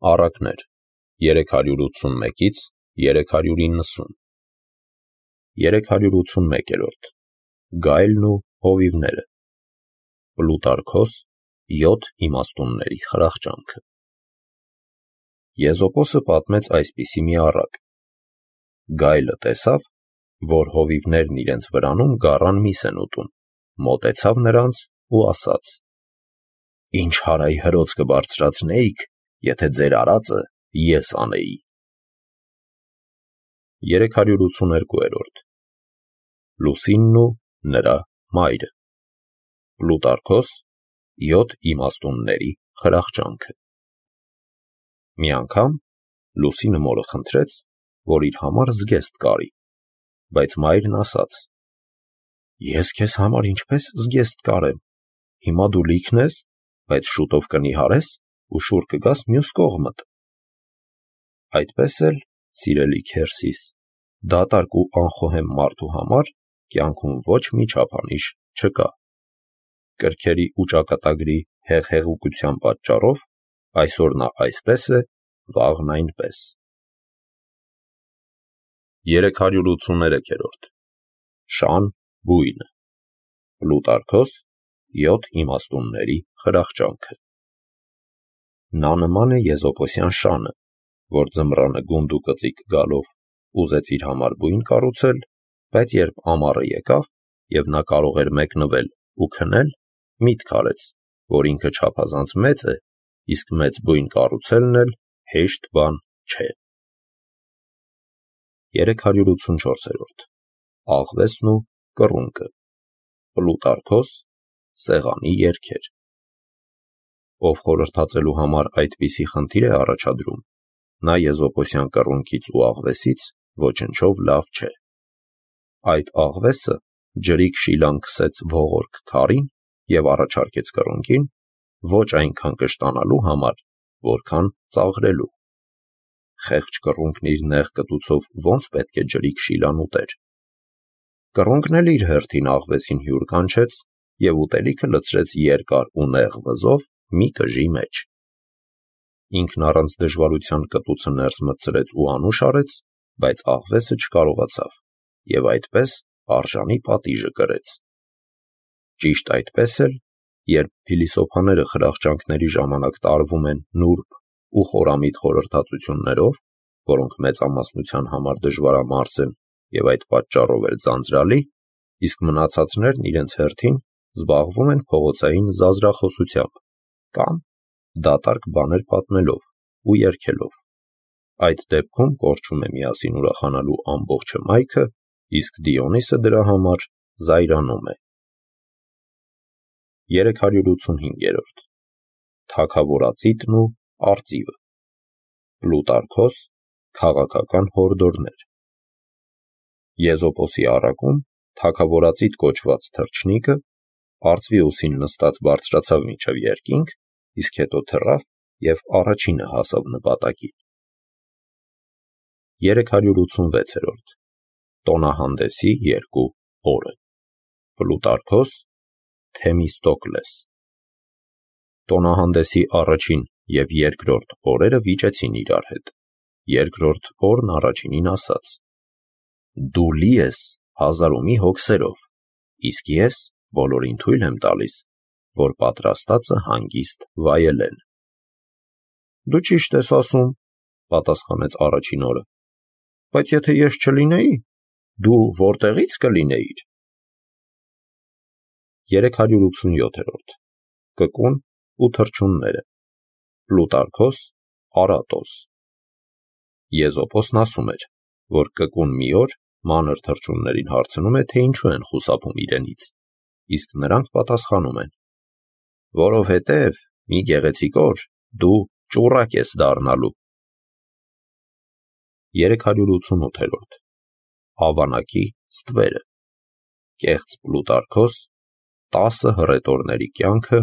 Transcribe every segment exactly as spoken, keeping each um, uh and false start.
Առակներ երեք հարյուր ութսունմեկից երեք հարյուր իննսուն երեք հարյուր ութսունմեկերորդ Գայլն ու հովիվները Պլուտարքոս յոթ իմաստունների խրախճանքը Եզոպոսը պատմեց այսպիսի մի առակ. Գայլը տեսավ, որ հովիվներն իրենց վրանում գառան միս են ուտում, մոտեցավ նրանց ու ասաց. Ինչ հարայ հրոց կբարձրացնեիք, եթե ձեր արածը ես անեի։ երեք հարյուր ութսուներկուերորդ Լուսինն ու նրա մայրը Պլուտարքոս յոթ իմաստունների խրախճանքը Մի անգամ Լուսինը մորը խնդրեց, որ իր համար զգեստ կարի, բայց մայրն ասաց. Ես քեզ համար ինչպես զգեստ կարեմ, հիմա դու լիքն ես, բայց շուտով կնիհարես ու շուռ կգաս մյուս կողմդ։ Այդպես էլ, սիրելի քերսիս, դատարկ ու անխոհեմ մարդու համար կյանքում ոչ մի չափանիշ չկա։ Կրքերի ու ճակատագրի հեղհեղուկության պատճառով այսօր նա այսպես է, վաղն այնպես։ երեք հարյուր ութսուներեքերորդ Շան բույնը Պլուտարքոս յոթ իմաստունների խրախճանքը Նա նման է եզոպոսյան շանը, որ ձմռանը գունդ ու կծիկ գալով ուզեց իր համար բույն կառուցել, բայց երբ ամառը եկավ և նա կարող էր մեկնվել ու քնել, միտք արեց, որ ինքը չափազանց մեծ է, իսկ մեծ բույն կառուցելն էլ հեշտ բան չէ։ երեք հարյուր ութսունչորսերորդ Աղվեսն ու կռունկը Պլուտարքոս սեղանի երգեր Ով խորհրդածելու համար այդպիսի խնդիր է առաջադրում, նա եզոպոսյան կռունկից ու աղվեսից ոչնչով լավ չէ։ Այդ աղվեսը ջրիկ շիլան քսեց ողորկ քարին և առաջարկեց կռունկին ոչ այնքան կշտանալու համար, որքան ծաղրելու։ Խեղճ կռունկն իր նեղ կտուցով ո՞նց պետք է ջրիկ շիլան ուտեր։ Կռունկն էլ իր հերթին աղվեսին հյուր կանչեց և ուտելիքը լցրեց երկար ու նեղ վզով մի կժի մեջ։ Ինքն առանց դժվարության կտուցը ներս մտցրեց ու անուշ արեց, բայց աղվեսը չկարողացավ և այդպես արժանի պատիժը կրեց։ Ճիշտ այդպես էլ, երբ փիլիսոփաները խրախճանքների ժամանակ տարվում են նուրբ ու խորամիտ խորհրդածություններով, որոնք մեծամասնության համար դժվարամարս են և այդ պատճառով էլ ձանձրալի, իսկ մնացածներն իրենց հերթին զբաղվում են փողոցային զազրախոսությամբ կամ դատարկ բաներ պատմելով ու երգելով։ Այդ դեպքում կորչում է միասին ուրախանալու ամբողջ հմայքը, իսկ Դիոնիսը դրա համար զայրանում է։ երեք հարյուր ութսունհինգերորդ Թագավորածիտն ու արծիվը Պլուտարքոս քաղաքական հորդորներ Եզոպոսի առակում թագավորածիտ կոչված թռչնիկը արծվի ուսին նստած բարձրացավ մինչև երկինք, իսկ հետո թռավ և առաջինը հասավ նպատակին։ երեք հարյուր ութսունվեցերորդ Տոնահանդեսի երկու օրը Պլուտարքոս Թեմիստոկլես Տոնահանդեսի առաջին և երկրորդ օրերը վիճեցին իրար հետ։ Երկրորդ օրն առաջինին ասաց. Դու լի ես հազար ու մի հոգսերով, իսկ ես բոլորին թույլ եմ տալիս, որ պատրաստածը հանգիստ վայելեն։ Դու ճիշտ ես ասում, պատասխանեց առաջին օրը, բայց եթե ես չլինեի, դու որտեղի՞ց կլինեիր։ երեք հարյուր ութսունյոթերորդ Կկուն ու թռչունները Պլուտարքոս Արատոս Եզոպոսն ասում էր, որ կկուն մի օր մանր թռչուններին հարցնում է, թե ինչու են խուսափում իրենից, իսկ նրանք պատասխանում են. Որովհետև մի գեղեցիկ օր դու ճուռակ ես դառնալու։ երեք հարյուր ութսունութերորդ Ավանակի ստվերը Կեղծ Պլուտարքոս տասը հռետորների կյանքը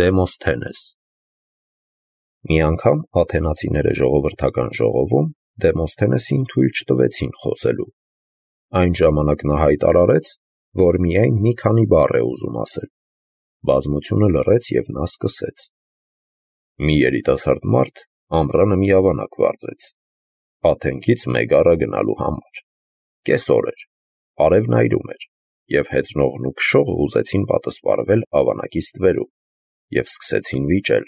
Դեմոսթենես Մի անգամ աթենացիները ժողովրդական ժողովում Դեմոսթենեսին թույլ չտվեցին խոսելու։ Այն ժամանակ նա հայտարարեց, որ միայն մի քանի բառ է ուզում ասել։ Բազմությունը լռեց և նա սկսեց. Մի երիտասարդ մարդ ամռանը մի ավանակ վարձեց, Աթենքից Մեգարա գնալու համար, կես օր էր, արևն այրում էր, և հեծնողն ու քշողը ուզեցին պատսպարվել ավանակի ստվերում, և սկսեցին վիճել,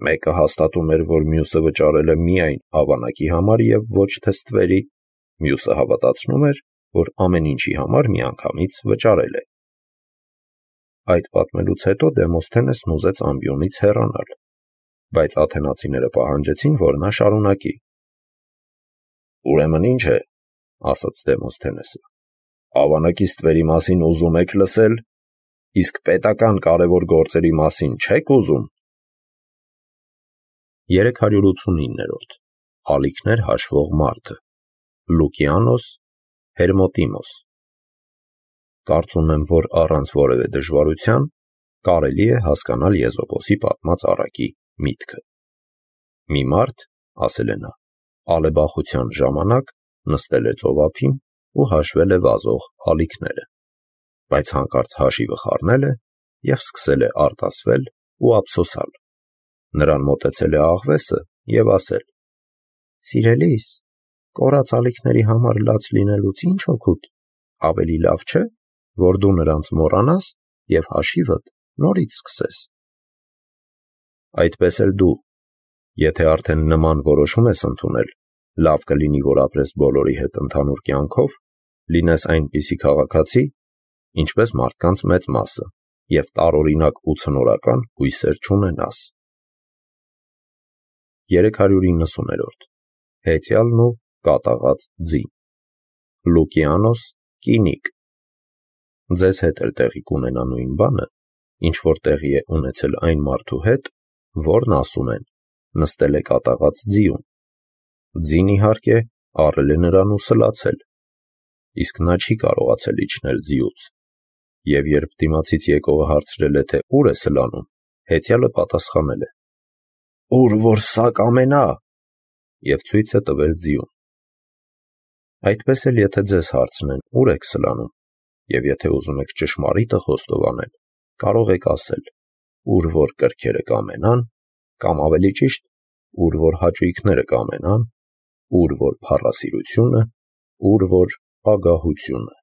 մեկը հաստատում էր, որ մյուսը վճարել է միայն ավանակի համար և ոչ թե ստվերի, մյուսը հավատացնում էր, որ ամեն ինչի համար միանգամից վճարել է։ Այդ պատմելուց հետո Դեմոսթենեսն ուզեց ամբիոնից հեռանալ, բայց աթենացիները պահանջեցին, որ նա շարունակի։ «Ուրեմն ինչ է, ասաց Դեմոսթենեսը, ավանակի ստվերի մասին ուզում եք լսել, իսկ պետական կարևոր գործերի մասին չեք ուզում»։ երեք հարյուր ութսունիններորդ Ալիքներ հաշվող մարդը Լուկիանոս Հերմոտիմոս։ Կարծում եմ, որ առանց որևէ դժվարության կարելի է հասկանալ Եզոպոսի պատմած առակի միտքը։ Մի մարդ, ասել է նա, ալեբախության ժամանակ նստել է ծովափին ու հաշվել է վազող ալիքները, բայց հանկարծ հաշիվը խառնել է և սկսել է արտասվել ու ափսոսալ։ Նրան մոտեցել է աղվեսը և ասել. «Սիրելիս, կորած ալիքների համար լաց լինելուց ինչ օգուտ, ավելի լավ չէ, որ դու նրանց մոռանաս և հաշիվդ նորից սկսես»։ Այդպես էլ դու, եթե արդեն նման որոշում ես ընդունել, լավ կլինի, որ ապրես բոլորի հետ ընդհանուր կյանքով, լինես այնպիսի քաղաքացի, ինչպես մարդկանց մեծ մասը, և տարօրինակ ու ցնորական հույսեր չունենաս։ երեք հարյուր իննսուներորդ Հեծյալն ու կատաղած ձին Լուկիանոս Կինիկ։ Ձեզ հետ էլ տեղի կունենա նույն բանը, ինչ որ տեղի է ունեցել այն մարդու հետ, որն ասում են նստել է կատաղած ձիուն։ Ձին, իհարկե, առել է նրան ու սլացել, իսկ նա չի կարողացել իջնել ձիուց, և երբ դիմացից եկողը հարցրել է, թե ուր է սլանում, հեծյալը պատասխանել է. «Ուր որ սա կամենա», և ցույց է տվել ձիուն։ Այդպես էլ եթե ձեզ հարցնեն, ուր եք սլանում, և եթե ուզում եք ճշմարիտը խոստովանել, կարող եք ասել, ուր որ կրքերը կամենան, կամ ավելի ճիշտ, ուր որ հաճույքները կամենան, ուր որ փառասիրությունը, ուր որ ագահությունը։